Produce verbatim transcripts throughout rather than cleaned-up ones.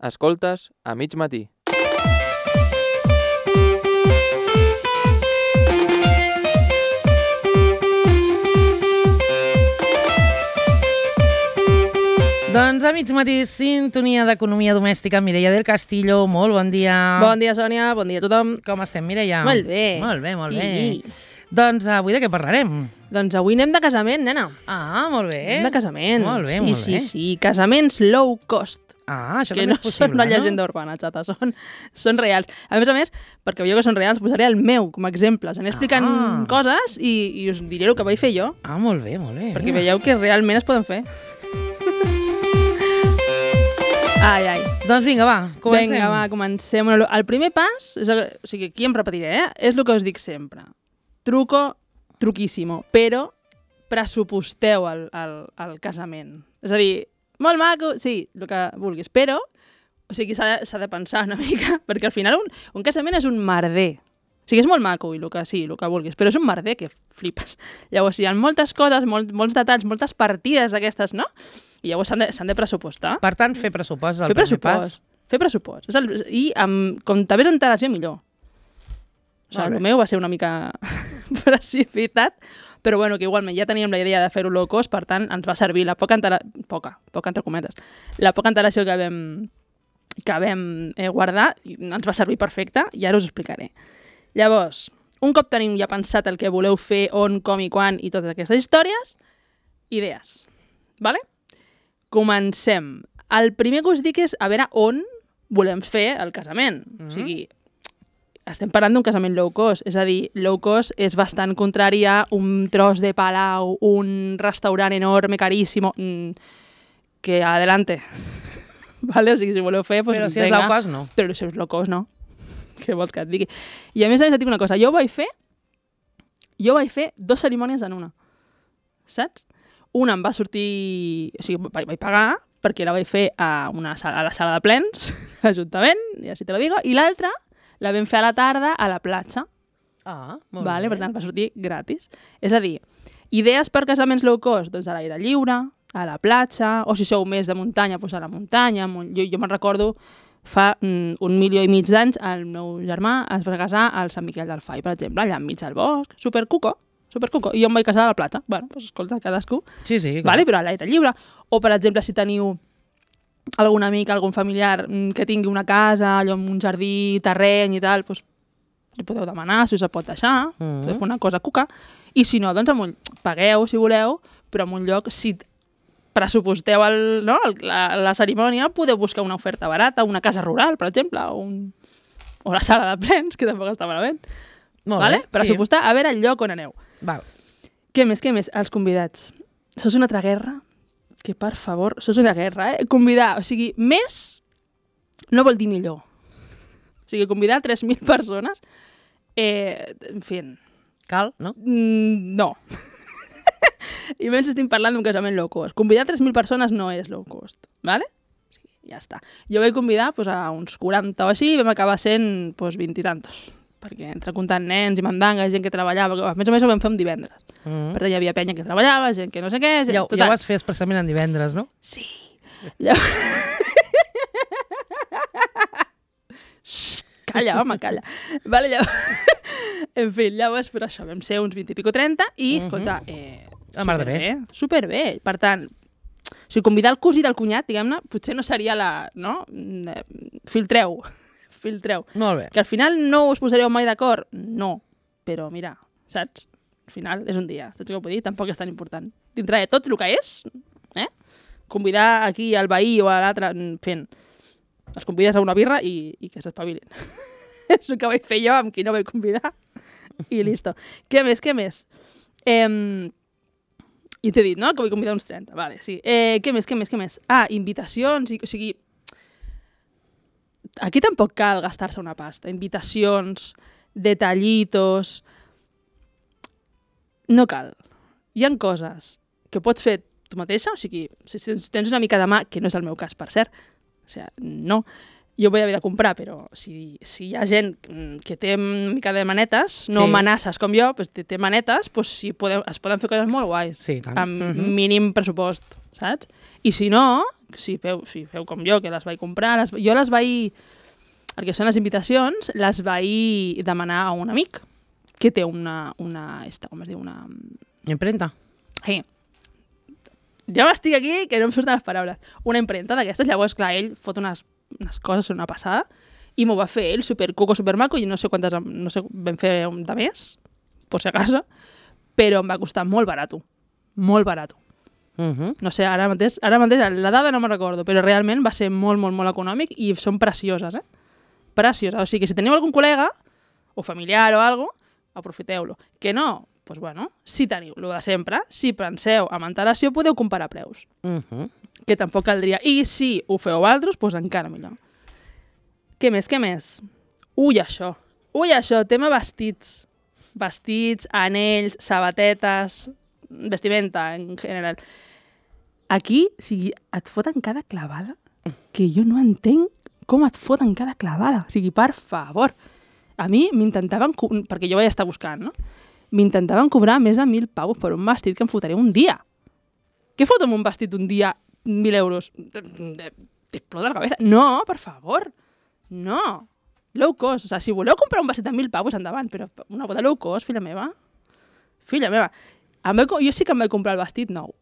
Escoltes a mig matí. Doncs a mig matí, sintonia d'economia domèstica. Mireia del Castillo, molt bon dia. Bon dia, Sònia, bon dia a tothom. Com estem, Mireia? Molt bé. Molt bé, molt Sí. bé. Doncs avui de què parlarem? Doncs avui anem de casament, nena. Ah, molt bé. Anem de casament. Molt bé, sí, molt sí, bé. Sí, sí, casaments low cost. Ah, això que també no és possible, són una llegenda urbana, xata, són, són reals. A més a més, perquè veieu que són reals, posaré el meu com a exemple. Us aniré explicant Ah. coses i, i us diré el que vaig fer jo, Ah, molt bé, molt bé. perquè veieu que realment es poden fer. Ai, ai. Doncs vinga, va, comencem. Vinga, va, comencem. Bueno, el primer pas, és el, o sigui, aquí em repetiré, eh? És el que us dic sempre. Truco, truquíssimo, però pressuposteu el, el, el casament. És a dir, molt maco, sí, el que vulguis, però o sigui, s'ha de, s'ha de pensar una mica, perquè al final un, un casament és un merder. O sigui, és molt maco i el que sí, el que vulguis, però és un merder que flipes. Llavors, hi ha moltes coses, molt, molts detalls, moltes partides d'aquestes, no? I llavors s'han de, s'han de pressupostar. Per tant, fer pressupost és el Fer primer pressupost. pas. Fer pressupost. És el, I amb, com també és antelació, millor. O sigui, Molt bé. el meu va ser una mica precipitat, però bueno, que igualment ja teníem la idea de fer-ho low cost, per tant, ens va servir la poca antelació, poca, poca entre cometes, la poca antelació que vam, que vam eh, guardar, i ens va servir perfecte, i ara us ho explicaré. Llavors, un cop tenim ja pensat el que voleu fer, on, com i quan, i totes aquestes històries, idees, vale? Comencem. El primer que us dic és a veure on volem fer el casament. Mm-hmm. O sigui, estem parlant d'un casament low cost. És a dir, low cost és bastant contrari a un tros de palau, un restaurant enorme, caríssimo, mm, que adelante. Vale? O sigui, si voleu fer... Pues, Però si és venga. low cost, no. Però si és low cost, no. Què vols que et digui? I a més a més et dic una cosa. Jo vaig fer... Jo vaig fer dues cerimònies en una. Saps? Una em va sortir... O sigui, vaig, vaig pagar perquè la vaig fer a, una sala, a la sala de plens, a l'Ajuntament, i així te lo digo, i l'altra la vam fer a la tarda a la platja. Ah, molt Vale? bé. Per tant, va sortir gratis. És a dir, idees per casaments low cost, doncs a l'aire lliure, a la platja, o si sou més de muntanya, doncs a la muntanya. Jo, jo me'n recordo fa mm, un milió i mig d'anys el meu germà es va casar al Sant Miquel del Fai, per exemple, allà enmig del bosc, supercuco, supercuco, i jo em vaig casar a la platja. Bueno, doncs escolta, cadascú. Sí, sí. Clar. Vale? Però a l'aire lliure. O, per exemple, si teniu algun amic, algun familiar mm, que tingui una casa, allò amb un jardí, terreny i tal, doncs li podeu demanar si us el pot deixar, Mhm. podeu fer una cosa cuca. I si no, doncs amb un... pagueu, si voleu, però en un lloc, si pressuposteu el, no, el, la, la cerimònia, podeu buscar una oferta barata, una casa rural, per exemple, o, un, o la sala de plens, que tampoc està malament. Molt Vale? bé. Pressupostar, a veure el lloc on aneu. Sí. Val. Què més, què més? Els convidats. Això és una altra guerra? Que, per favor, això és una guerra, eh? Convidar, o sigui, més no vol dir millor. O sigui, convidar tres mil persones, eh, en fi, Cal, no? mm, no. I menys estem parlant d'un casament low cost. Convidar tres mil persones no és low cost, ¿vale? O sigui, ja està. Jo vaig convidar pues, a uns quaranta o així i vam acabar sent pues, vint i tantos. Perquè entre comptant nens i mandangues, gent que treballava, a més a més ho vam fer un divendres. Mm. Per tant, hi havia penya que treballava, gent que no sé què... Gent, Ja, ja ho vas fer expressament en divendres, no? Sí. Llavors... Xxt, calla, home, calla. Vale, llavors... en fi, llavors, per això, vam ser uns vint i pico trenta i, Mhm. escolta, eh, La mar de bé. superbé. Per tant, o sigui, convidar el cosí del cunyat, diguem-ne, potser no seria la... No? Eh, Filtreu. Filtreu. Molt bé. Que al final no us posareu mai d'acord? No. Però mira, saps? Al final és un dia. Saps què vull dir? Tampoc és tan important. Dintre de tot el que és, eh? Convidar aquí al veí o a l'altre fent... Els convides a una birra i, i que s'espavilin. És el que vaig fer jo amb qui no vaig convidar. I listo. Què més, què més? Eh, I t'he dit, no?, que vull convidar uns trenta. Vale, sí. Eh, què més, què més, què més? Ah, invitacions. I, o sigui, aquí tampoc cal gastar-se una pasta. Invitacions, detallitos... No cal. Hi ha coses que pots fer tu mateixa, o sigui, si tens una mica de mà, que no és el meu cas, per cert, o sigui, no, jo vull haver de comprar, però si, si hi ha gent que té una mica de manetes, no Sí. manasses com jo, pues, té, té manetes, pues, sí, podem, es poden fer coses molt guais, Sí, tant. amb Mhm. mínim pressupost, saps? I si no, si feu, si feu com jo, que les vaig comprar, les, jo les vaig... El que són les invitacions, les vaig demanar a un amic que té una... una esta, com es diu? Una... Imprenta. Sí. Jo m'estic aquí, que no em surten les paraules. Una imprenta d'aquestes, llavors, clar, ell fot unes, unes coses, una passada, i m'ho va fer ell, super cuco, super maco, i no sé quantes, no sé, vam fer un de més, per si a casa, però em va costar molt barat. Molt barat. Uh -huh. No sé, ara mateix, ara mateix la dada no me'n recordo, però realment va ser molt, molt, molt econòmic i són precioses, eh? Precioses. O sigui que si teniu algun col·lega, o familiar o alguna cosa, aprofiteu-lo. Que no, doncs bueno, si teniu el de sempre, si penseu amb antelació, podeu comparar preus. Uh -huh. Que tampoc caldria. I si ho feu altres, doncs encara millor. Què més, què més? Ui, això. Ui, això, tema vestits. Vestits, anells, sabatetes, vestimenta en general. Aquí, o sigui, et foten cada clavada que jo no entenc com et foten cada clavada. O sigui, per favor. A mi m'intentaven... Perquè jo vaig estar buscant, no? M'intentaven cobrar més de mil pavos per un vestit que em fotré un dia. Què foto amb un vestit un dia mil euros? T'explota la cabeza. No, per favor. No. Low cost. O sigui, si voleu comprar un vestit de mil pavos, endavant, però una boda low cost, filla meva. Filla meva. Em vaig, jo sí que em vaig comprar el vestit nou.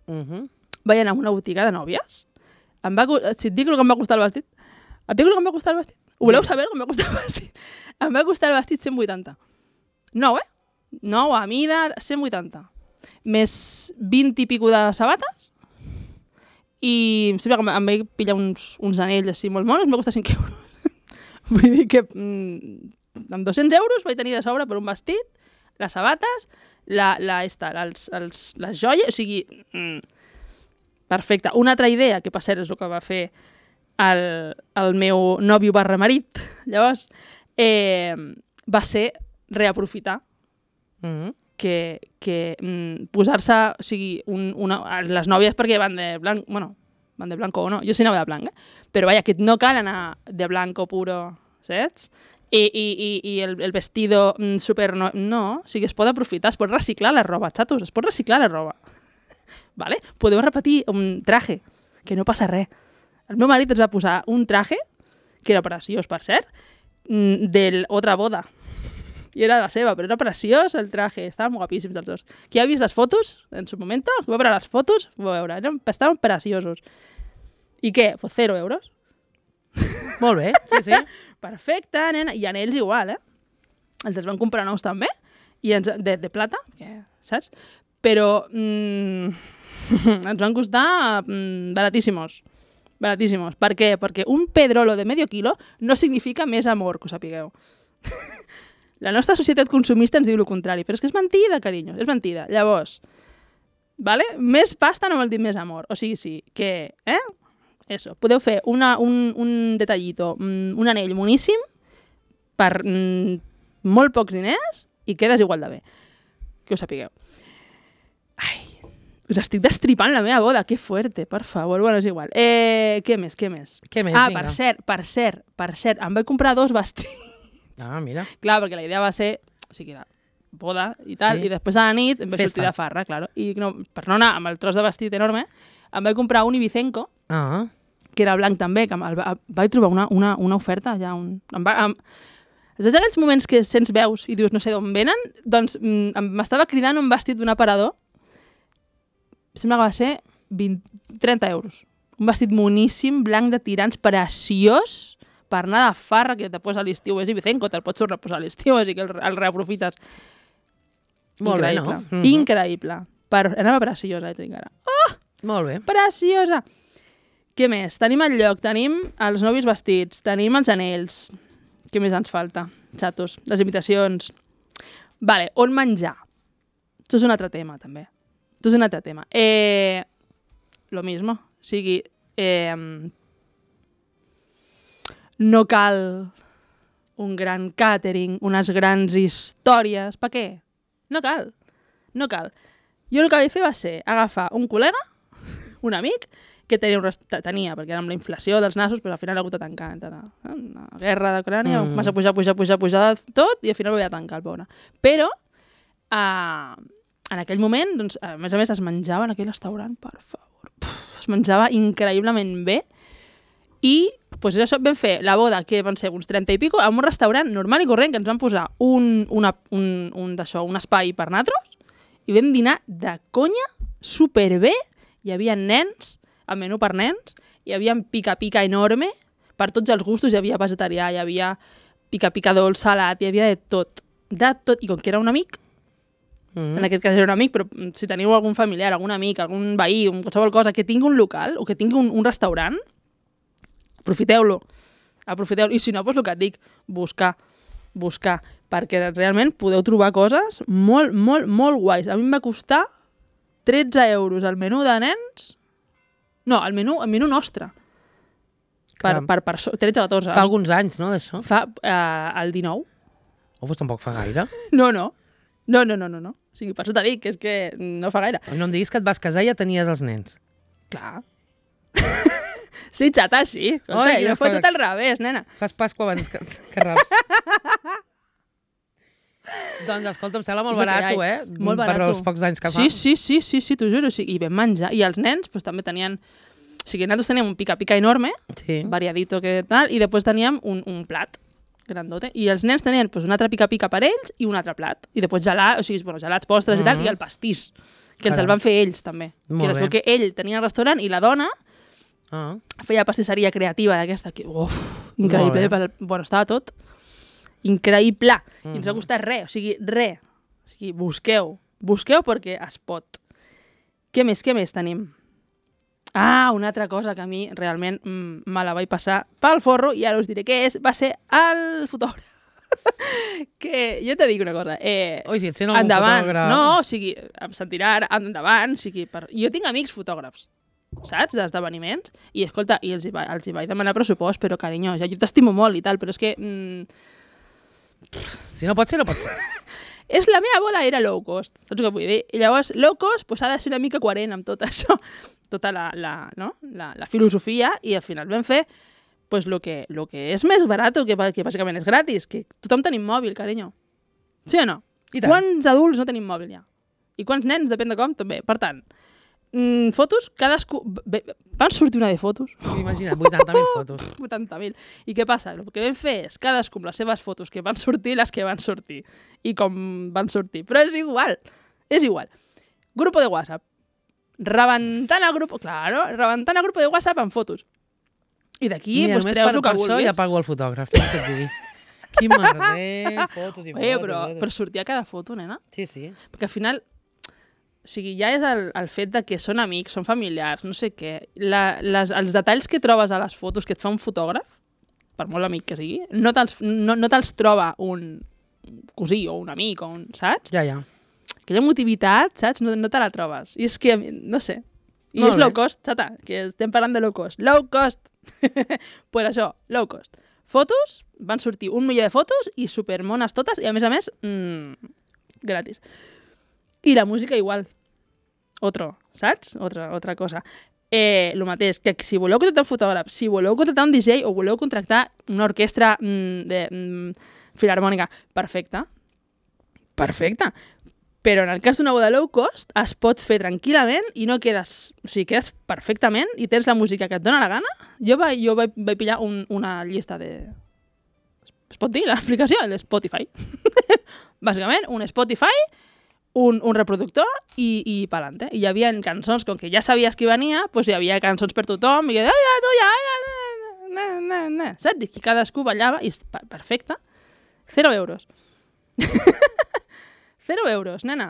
Uh -huh. Vaig anar a una botiga de nòvies. Em va, si et dic el que em va costar el vestit, et dic el que em va costar el vestit? Ho voleu saber el que em va costar el vestit? Em va costar el vestit cent vuitanta. Nou, eh? Nou a mida, cent vuitanta. Més vint i pico de sabates. I em sembla que em vaig pillar uns, uns anells així molt monos, em va costar cinc euros. Vull dir que mm, amb dos-cents euros vaig tenir de sobre per un vestit, les sabates, la, la, esta, els, els, les joies, o sigui... Mm, perfecte. Una altra idea, que per cert és el que va fer el, el meu nòvio barra marit, llavors, eh, va ser reaprofitar Uh -huh. que, que mm, posar-se, o sigui, un, una, les nòvies perquè van de blanc, bueno, van de blanco o no, jo sí anava de blanc, eh? Però vaja, que no cal anar de blanco puro, saps? I, i, i, i el, el vestido mm, super... No, no, o sigui, es pot aprofitar, es pot reciclar la roba, xatos, es pot reciclar la roba. Vale? Podeu repetir un traje, que no passa res. El meu marit es va posar un traje, que era preciós, per cert, mm, de l'altra boda. I era la seva, però era preciós el traje, estaven guapíssims els dos. Qui ha vist les fotos, en su moment, va veure les fotos, va veure, eren, estaven preciosos. I què? Pues zero euros. Molt bé, sí, sí. Perfecte, nena. I anells igual, eh? Els els van comprar nous també, i ens, de, de plata, que, saps? Però mm, ens van costar mm, baratíssimos. Baratíssimos. Per què? Perquè un pedrolo de medio kilo no significa més amor, que ho sapigueu. La nostra societat consumista ens diu el contrari, però és que és mentida, carinyo, és mentida. Llavors, vale? Més pasta no vol dir més amor. O sigui, sí, que, eh? Eso, podeu fer una, un, un detallito, un anell moníssim per mm, molt pocs diners i quedes igual de bé. Que ho sapigueu. Ai, us estic destripant la meva boda, que fuerte, per favor. Bueno, és igual. Eh, què més, què més? Què més, ah, vinga. per cert, per cert, per cert, em vaig comprar dos vestits. Ah, mira. Clar, perquè la idea va ser, o sigui, la boda i tal, Sí. i després a la nit em vaig Festa. sortir de farra, claro. I no, per no anar amb el tros de vestit enorme, em vaig comprar un Ibicenco, Ah, que era blanc també, que el, va- vaig trobar una, una, una oferta ja. Un, em va, em, és d'aquells moments que sents veus i dius no sé d'on venen, doncs mm, em- m'estava cridant un vestit d'un aparador, sembla que va ser vint, trenta euros. Un vestit moníssim, blanc de tirants, preciós, per anar de farra, que te posa a l'estiu, és Ibicenco, te'l pots tornar a posar a l'estiu, així que el, el reaprofites. Molt bé, Increïble. no? Mhm. Increïble. Per, anava preciosa, eh, tinc ara. molt bé. Preciosa! Què més? Tenim el lloc, tenim els nòvios vestits, tenim els anells. Què més ens falta? Xatos, les invitacions. Vale, on menjar? Això és un altre tema, també. Això és un altre tema. Eh, lo mismo. O sigui, eh, no cal un gran catering, unes grans històries. Per què? No cal. No cal. Jo el que vaig fer va ser agafar un col·lega, un amic, que tenia, un rest... tenia perquè era amb la inflació dels nassos, però al final ha hagut de tancar. La, la guerra d'Ucrània, Mm. mm. va pujar, pujar, pujar, pujar tot, i al final ho vaig tancar, el pobre. Però, uh, en aquell moment, doncs, a més a més, es menjava en aquell restaurant, per favor. Puf, es menjava increïblement bé. I pues, això vam fer la boda, que van ser uns trenta i pico, en un restaurant normal i corrent, que ens van posar un, una, un, un, d'això, un espai per natros, i vam dinar de conya, superbé. Hi havia nens, el menú per nens, hi havia pica-pica enorme, per tots els gustos, hi havia vegetarià, hi havia pica-pica dolç, salat, hi havia de tot. De tot, i com que era un amic, mm-hmm. en aquest cas era un amic, però si teniu algun familiar, algun amic, algun veí, un, qualsevol cosa, que tingui un local o que tingui un, un restaurant, aprofiteu-lo. Aprofiteu-lo. I si no, doncs el que et dic, buscar, buscar, perquè realment podeu trobar coses molt, molt, molt guais. A mi em va costar tretze euros el menú de nens. No, el menú, el menú nostre. Per, per, per tretze o catorze. Fa alguns anys, no, d'això? Fa eh, el dinou. Oh, doncs tampoc fa gaire. No, no. No, no, no, no, no. O sigui, per això t'he dit, que és que no fa gaire. No em diguis que et vas casar i ja tenies els nens. Clar. Sí, xata, sí. Escolta, Oi, jo fos fa... tot al revés, nena. Fas Pasqua abans que, que raps. Doncs, escolta, em sembla molt barat, eh? Molt barat. Per els pocs anys que fa. Sí, sí, sí, sí, sí, t'ho juro. O sigui, i vam menjar. I els nens pues, també tenien... O sigui, nosaltres teníem un pica-pica enorme, sí. variadito que tal, i després teníem un, un plat grandote. I els nens tenien pues, un altre pica-pica per ells i un altre plat. I després gelats, o sigui, bueno, gelats, postres mm -hmm. i tal, i el pastís, que ens Caram. el van fer ells també. Molt que era que ell tenia el restaurant i la dona ah. feia pastisseria creativa d'aquesta, que, uf, increïble. Pel, bueno, estava tot increïble. Mm -hmm. I ens va costar res, o sigui, res. O sigui, busqueu, busqueu perquè es pot. Què més, què més tenim? Ah, una altra cosa que a mi realment mm, me la vaig passar pel forro i ara us diré què és, va ser el fotògraf. Que jo te dic una cosa. Eh, Ui, si et sent algun endavant, fotògraf... No, o sigui, em sentirà ara, endavant, o sigui, per... jo tinc amics fotògrafs, saps, d'esdeveniments, i escolta, i els hi, va, els hi vaig demanar pressupost, però carinyo, ja jo t'estimo molt i tal, però és que... Mm... Si no pot ser, no pot ser. És la meva boda era low cost, saps què vull dir? I llavors, low cost pues, ha de ser una mica coherent amb tot això, tota la, la, no? la, la filosofia, i al final vam fer pues, lo, que, lo que és més barat, que, que bàsicament és gratis, que tothom tenim mòbil, carinyo. Sí o no? I tant. Quants adults no tenim mòbil ja? I quants nens, depèn de com, també. Per tant, mm, fotos, cadascú... Van sortir una de fotos. Imagina't, vuitanta mil fotos. vuitanta mil. I què passa? El que vam fer és cadascú amb les seves fotos que van sortir, les que van sortir. I com van sortir. Però és igual. És igual. Grupo de WhatsApp. Rebentant el grup... Claro, rebentant el grup de WhatsApp amb fotos. I d'aquí pues, treus el que per vulguis. això ja pago el fotògraf. Què et digui? Quin merder, fotos i fotos. Oye, però, però sortia cada foto, nena. Sí, sí. Perquè al final... O sigui, ja és el, el fet de que són amics, són familiars, no sé què. La, les, els detalls que trobes a les fotos que et fa un fotògraf, per molt amic que sigui, no te'ls no, no te troba un cosí o un amic, o un, saps? Ja, ja. Aquella motivitat, saps? No, no te la trobes. I és que, no sé. I molt és bé. Low cost, xata, que estem parlant de low cost. Low cost! Pues això, low cost. Fotos, van sortir un milió de fotos i supermones totes, i a més a més, mmm, gratis. I la música igual. Otro, saps? Otra, otra cosa. Eh, el mateix, que si voleu contractar un fotògraf, si voleu contractar un D J o voleu contractar una orquestra mm, de mm, filharmònica, perfecte. Perfecte. Però en el cas d'una boda low cost es pot fer tranquil·lament i no quedes... O sigui, quedes perfectament i tens la música que et dóna la gana. Jo vaig, jo vaig, vaig pillar un, una llista de... Es pot dir l'aplicació? L'Spotify. Bàsicament, un Spotify... Un, un reproductor i, i pa'lante. I hi havia cançons, com que ja sabies qui venia, doncs hi havia cançons per tothom, i que, ai, ja, tu, ja, ja, na, na, na, saps? I cadascú ballava, i perfecte. Zero euros. Zero euros, nena.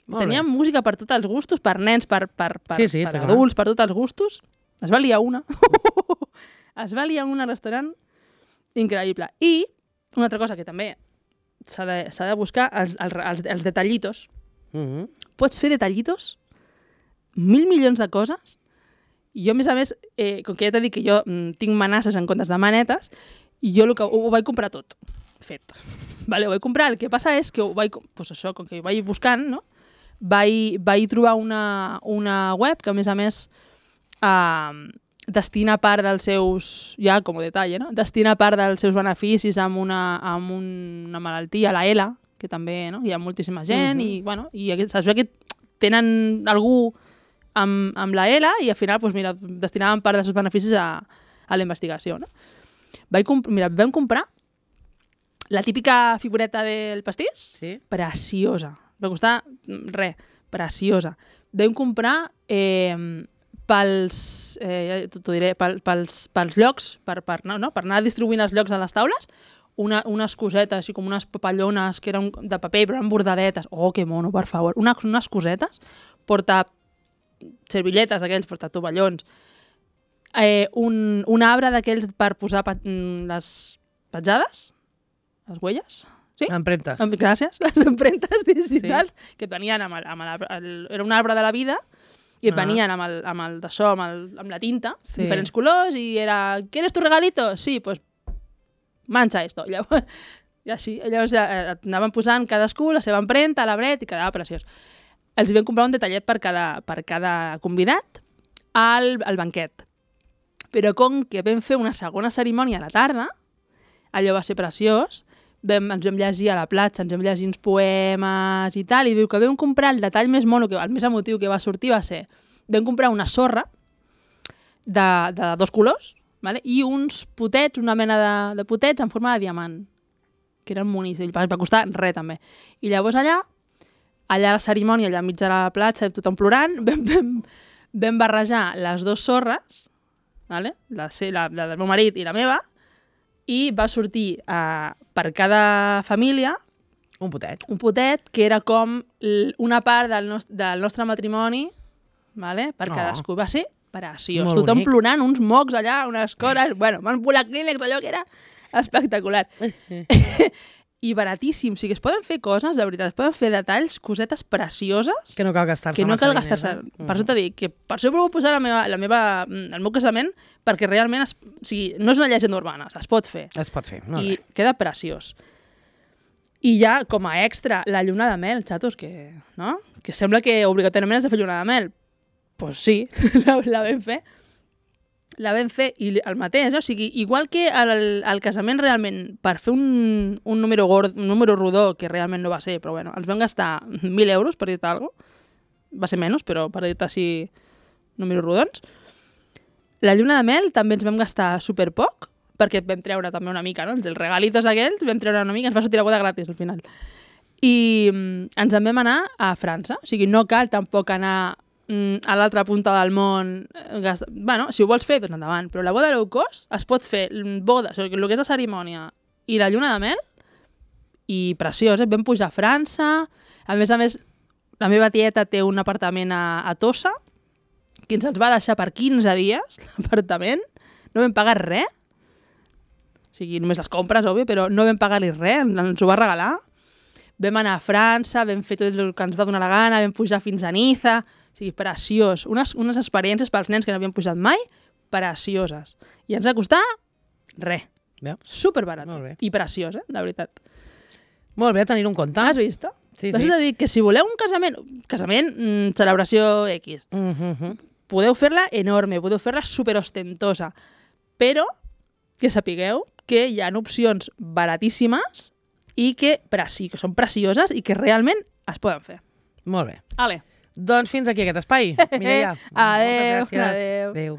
Teníem música per tots els gustos, per nens, per, per, per, sí, sí, per adults, per tots els gustos. Es va liar una. Es va liar una al restaurant increïble. I una altra cosa que també s'ha de, s'ha de buscar, els, els, els, els detallitos. Mm-hmm. Pots fer detallitos, mil milions de coses, i jo, a més a més, eh, com que ja t'he dit que jo mm, tinc manasses en comptes de manetes, i jo que, ho, ho vaig comprar tot, fet. Vale, ho vaig comprar, el que passa és que ho vaig, pues això, com que ho vaig buscant, no? vaig, vaig trobar una, una web que, a més a més, eh, destina part dels seus, ja com a detall, no? Destina part dels seus beneficis amb una, amb una malaltia, la E L A, que també, no? Hi ha moltíssima gent, uh-huh. i, bueno, i es veu que tenen algú amb, amb la E L A i al final, doncs, mira, destinaven part dels seus beneficis a, a la investigació. No? Vaig comp mira, vam comprar la típica figureta del pastís, Sí. preciosa. Va costar res, preciosa. Vam comprar eh, pels, eh, t'ho diré, pel, pels, pels llocs, per, per, no, no? per anar distribuint els llocs a les taules, una, unes cosetes, així com unes papallones que eren de paper, però eren bordadetes. Oh, que mono, per favor. Unes, unes cosetes, porta servillets d'aquells, porta tovallons, eh, un, un arbre d'aquells per posar pa, les petjades, les huelles, sí? Empremtes. Em- Gràcies, les empremtes digitals sí. que et venien amb, el, amb el, el, era un arbre de la vida i et Ah. venien amb el, amb el daixò, amb, el, amb la tinta, Sí. diferents colors, i era, ¿quieres tu regalito? Sí, pues mancha esto. Llavors, i així, llavors eh, et anaven posant cadascú la seva empremta, l'arbret, i quedava preciós. Els vam comprar un detallet per cada, per cada convidat al, al banquet. Però com que vam fer una segona cerimònia a la tarda, allò va ser preciós, vam, ens vam llegir a la platja, ens vam llegir uns poemes i tal, i diu que vam comprar el detall més mono, que, el més emotiu que va sortir va ser, vam comprar una sorra de, de dos colors, vale? I uns potets, una mena de, de potets en forma de diamant, que eren boníssims, va, va costar res també. I llavors allà, allà a la cerimònia, allà enmig de la platja, tothom plorant, vam, vam, vam barrejar les dues sorres, vale? la, la, la del meu marit i la meva, i va sortir uh, per cada família Un potet. un potet que era com l- una part del, nost del nostre matrimoni, vale? per Oh. cadascú. Va ser preciós. Molt Tothom bonic. plorant, uns mocs allà, unes coses... Bueno, van volar clínex, allò que era espectacular. I baratíssim. O sigui, es poden fer coses, de veritat, es poden fer detalls, cosetes precioses, Que no cal gastar-se que no massa cal diners, gastar-se. eh? Per això t'he dit que per això provo posar la meva, la meva, el meu casament perquè realment es, o sigui, no és una llegenda urbana, es pot fer. Es pot fer, molt I bé. queda preciós. I ja, com a extra, la lluna de mel, xatos, que, no? que sembla que obligatòriament has de fer lluna de mel. Doncs pues sí, la, la vam fer. La vam fer i el mateix, o sigui, igual que el, el casament realment, per fer un, un, número gord, un número rodó, que realment no va ser, però bueno, ens vam gastar mil euros, per dir-te alguna cosa. Va ser menys, però per dir-te així números rodons. La lluna de mel també ens vam gastar superpoc, perquè vam treure també una mica, no? Els regalitos aquells, vam treure una mica, ens va sortir la boda gratis al final. I mm, ens en vam anar a França, o sigui, no cal tampoc anar mm, a l'altra punta del món. eh, Gast... Bueno, si ho vols fer, doncs endavant, però la boda low cost es pot fer mm, boda, o sigui, el que és la cerimònia i la lluna de mel, i preciós, eh? Vam pujar a França, a més a més, la meva tieta té un apartament a, a Tossa, que ens els va deixar per quinze dies, l'apartament, no vam pagar res, o sigui, només les compres, òbvio, però no vam pagar-li res, ens, ens ho va regalar. Vam anar a França, vam fer tot el que ens va donar la gana, vam pujar fins a Niza, o sigui, preciós. Unes, unes experiències pels nens que no havien pujat mai, precioses. I ens va costar res. Bé. Superbarat. Molt bé. I preciós, eh? De veritat. Molt bé, tenir-ho en compte. Has vist? Sí, T'has sí. de dir que si voleu un casament, casament, mm, celebració X, Mm -hmm. podeu fer-la enorme, podeu fer-la superostentosa, però que sapigueu que hi ha opcions baratíssimes i que, preci que són precioses i que realment es poden fer. Molt bé. Ale. Doncs fins aquí aquest espai. Mireia, Adéu, moltes gràcies. adéu. Adéu.